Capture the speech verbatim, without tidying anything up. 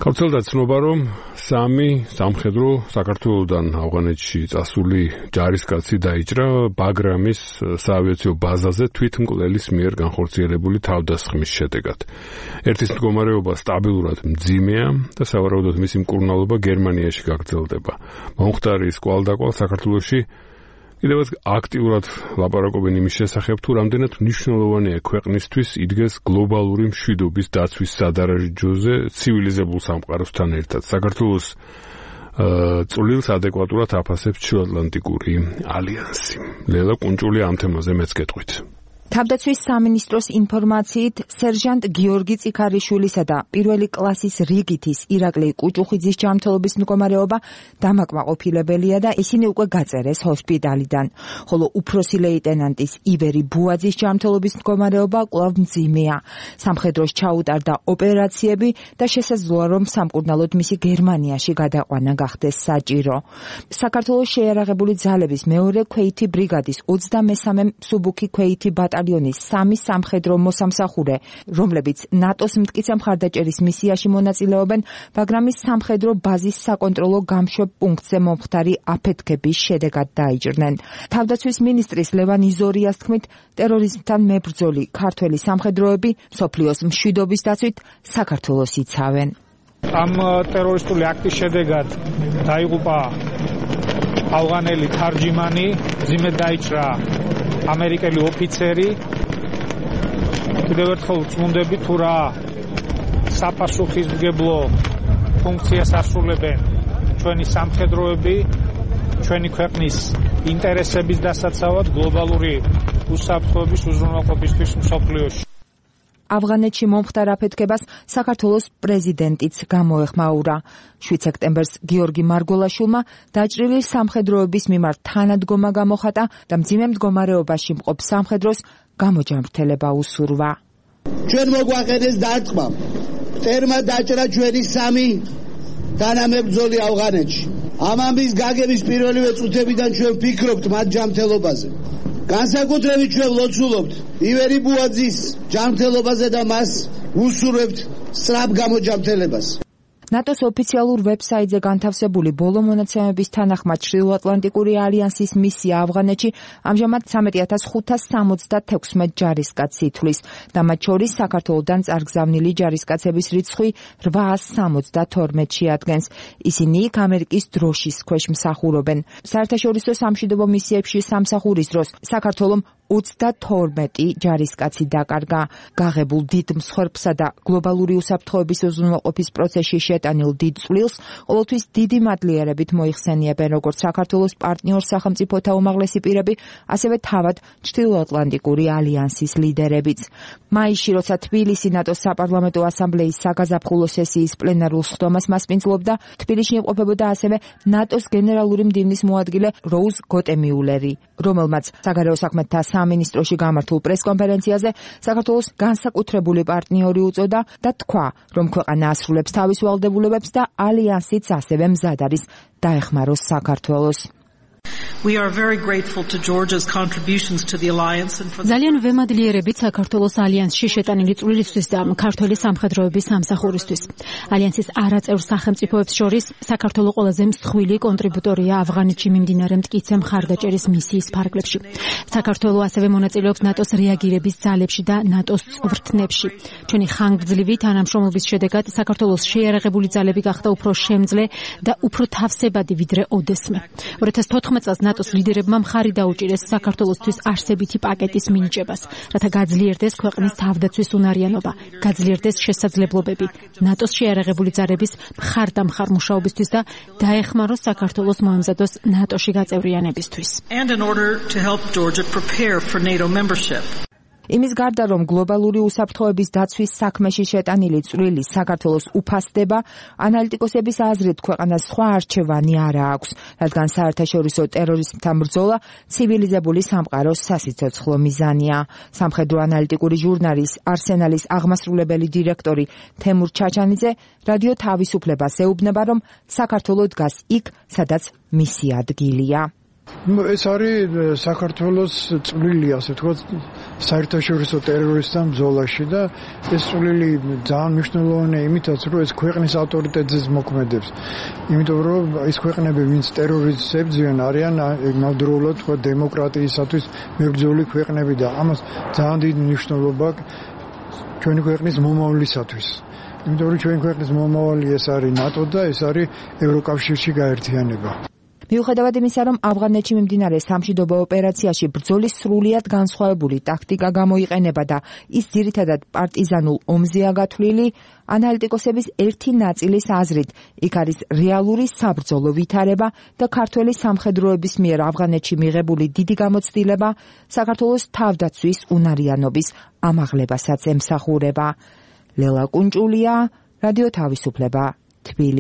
გავრცელდა ცნობა, რომ სამი სამხედრო საქართველოდან ავღანეთში წასული ჯარისკაცი დაიჭრა ბაგრამის საავიაციო ბაზაზე თვითმკვლელის მიერ განხორციელებული თავდასხმის შედეგად. ერთის მდგომარეობა სტაბილურად მძიმეა და სავარაუდოდ მისი მკურნალობა გერმანიაში გაგრძელდება. მომხდარის კვალდაკვალ საქართველოში კიდევაც აქტიურად ლაპარაკობენ იმის შესახებ, თუ რამდენად მნიშვნელოვანია ქვეყნისთვის იდგეს გლობალური მშვიდობის დაცვის სადარაჯოზე ცივილიზებულ სამყაროსთან ერთად. საქართველოს წვლილს ადეკვატურად აფასებს ჩრდილოატლანტიკური ალიანსი. ლელა კუნჭული ამ თემაზე მეც გეტყვით. თავდაცვის სამინისტროს ინფორმაციით სერჟანტ გიორგი წიქარიშვილისა და პირველი კლასის რიგითის ირაკლი კუჭუხიძის ჯანმრთელობის მდგომარეობა დამაკმაყოფილებელია და ისინი უკვე გაწერეს ჰოსპიტალიდან, ხოლო უფროსი ლეიტენანტის ივერი ბუაძის ჯანმრთელობის მდგომარეობა კვლავ მძიმეა. სამხედროს ჩაუტარდა ოპერაციები და შესაძლოა, რომ სამკურნალოდ მისი გერმანიაში გადაყვანა გახდეს საჭირო. საქართველოს შეიარაღებული ძალების მეორე ქვეითი ბრიგადის ოცდამესამე მსუბუქი ქვეითი ბატალიონი სამი სამხედრო მოსამსახურე, რომლებიც ნატოს მტკიცე მხარდაჭერის მისიაში მონაწილეობენ, ბაგრამის სამხედრო ბაზის საკონტროლო გამშვებ პუნქტზე მომხდარი აფეთქების შედეგად დაიჭრნენ. თავდაცვის მინისტრის ლევან იზორიას თქმით, ტერორიზმთან მებრძოლი ქართველი სამხედროები მსოფლიოს მშვიდობის დაცვით საქართველოს იცავენ. ამ ტერორისტული აქტის შედეგად დაიღუპა ავღანელი თარჯიმანი, მძიმედ დაიჭრა ამერიკელი ოფიცერი. კიდევ ერთხელ ვწმუნდები, თუ რა საპასუხისმგებლო ფუნქციას ასრულებენ ჩვენი სამხედროები, ჩვენი ქვეყნის ინტერესების დასაცავად გლობალური უსაფრთხოების უზრუნველყოფისთვის მსოფლიოში. ავღანეთში მომხდარ აფეთქებას საქართველოს პრეზიდენტიც გამოეხმაურა. შვიდ სექტემბერს გიორგი მარგოლაშვილმა დაჭრილი სამხედროების მიმართ თანადგომა გამოხატა და მძიმე მდგომარეობაში მყოფ სამხედროს გამოჯანმრთელება უსურვა. ჩვენ მოგვაყენეს დარტყმა. მტერმა დაჭრა ჩვენი სამი თანამებრძოლი ავღანეთში. ამ ამბის გაგების პირველივე წუთებიდან ჩვენ ვფიქრობთ მათ ჯანმრთელობაზე. განსაკუთრებით ჩვენ ლოცულობთ ივერი ბუაძის ჯანმრთელობაზე და მას უსურვებთ სწრაფ გამოჯანმრთელებას. ნატოს ოფიციალურ ვებსაიტზე განთავსებული ბოლო მონაცემების თანახმად ჩრდილოატლანტიკური ალიანსის მისია ავღანეთში ამჟამად სამეტი ათას ხუთას სამოცდათექვსმეტ ჯარისკაცს ითვლის და მათ შორის საქართველოდან წარგზავნილი ჯარისკაცების რიცხვი რვაას სამოცდათორმეტში ადგენს. ისინი იქ ამერიკის დროშის ქვეშ მსახურობენ. საერთაშორისო სამშვიდობო მისიებში სამსახურის დროს საქართველომ ოცდათორმეტი ჯარისკაცი დაკარგა. გაღებულ დიდ მსხვერპლსა და გლობალური უსაფრთხოების უზრუნველყოფის პროცესში შეტანილ დიდ წვლილს ყოველთვის დიდი მადლიერებით მოიხსენიებენ როგორც საქართველოს პარტნიორ სახელმწიფოთა უმაღლესი პირები, ასევე თავად ჩრდილოატლანტიკური ალიანსის ლიდერებიც. მაისში, როცა თბილისი ნატოს საპარლამენტო ასამბლეის საგაზაფხულო სესიის პლენარულ სხდომას მასპინძლობდა, თბილისში იმყოფებოდა ასევე ნატოს გენერალური მდივნის მოადგილე როუზ გოტემიულერი, რომელმაც საგარეო საქმეთა სამინისტროში გამართულ პრესკონფერენციაზე საქართველოს განსაკუთრებული პარტნიორი უწოდა და თქვა, რომ ქვეყანა ასრულებს თავის ვალდებულებებს და ალიანსიც ასევე მზად არის დაეხმაროს საქართველოს. We are very grateful to Georgia's contributions to the alliance and for ძალიან ვემადლიერებით საქართველოს ალიანსში შეტანილი წვლილისთვის და ქართველი სამხედროების სამსახურისთვის. ალიანსის არაწევრ სახელმწიფოებს შორის საქართველოს ყველაზე მსხვილი კონტრიბუტორია ავღანეთში მიმდინარე მტკიცე მხარდაჭერის მისიის ფარგლებში. საქართველოს ასევე მონაწილეობს ნატოს რეაგირების ძალებში და ნატოს წვრთნებში. ჩვენი ხანგრძლივი თანამშრომლობის შედეგად საქართველოს შეიარაღებული ძალები გახდა უფრო შემძლე და უფრო თავსებადი ვიდრე ოდესმე. ორი ათას თოთხმეტ წელს ნატოს ლიდერებმა მხარი დაუჭირეს საქართველოსთვის არსებითი პაკეტის მინიჭებას, რათა გაძლიერდეს ქვეყნის თავდაცვის უნარიანობა, გაძლიერდეს შესაძლებლობები ნატოს შეიარაღებული ძალების მხარდამხარ მუშაობისთვის და დაეხმაროს საქართველოს მოემზადოს ნატოში გაწევრიანებისთვის. and in order to help Georgia prepare for NATO membership. იმის გარდა, რომ გლობალური უსაფრთხოების დაცვის საქმეში შეტანილი წვლილი საქართველოს უფასდება, ანალიტიკოსების აზრით ქვეყანას სხვა არჩევანი არ აქვს, რადგან საერთაშორისო ტერორიზმთან ბრძოლა ცივილიზებული სამყაროს სასიცოცხლო მიზანია. სამხედრო ანალიტიკური ჟურნალის არსენალის აღმასრულებელი დირექტორი თემურ ჩაჩანიძე რადიო თავისუფლებას ეუბნება, რომ საქართველო დგას იქ, სადაც მისი ადგილია. ეს არის საქართველოს წვლილი, ასე თქვა, საერთაშორისო ტერორისტთან ბრძოლაში და ეს წვლილი ძალიან მნიშვნელოვანია იმითაც, რომ ეს ქვეყნის ავტორიტეტზე მოქმედებს. იმიტომ რომ ის ქვეყნები, ვინც ტერორიზმს ებრძვიან, არიან ნამდვილად თქვა დემოკრატიისათვის მებრძოლი ქვეყნები და ამას ძალიან დიდი მნიშვნელობა ჩვენი ქვეყნის მომავლისათვის. იმიტომ რომ ჩვენი ქვეყნის მომავალი ეს არის ნატო და ეს არის ევროკავშირში გაერთიანება. მიუხედავად იმისა, რომ ავღანეთში მიმდინარე სამშვიდობო ოპერაციაში ბრძოლის სრულიად განსხვავებული ტაქტიკა გამოიყენება და ის ძირითადად პარტიზანულ ომზეა გათვლილი, ანალიტიკოსების ერთი ნაწილის აზრით, იქ არის რეალური საბრძოლო ვითარება და ქართველი სამხედროების მიერ ავღანეთში მიღებული დიდი გამოცდილება საქართველოს თავდაცვის უნარიანობის ამაღლებასაც ემსახურება. ლელა კუნჭულია, რადიო თავისუფლება, თბილისი.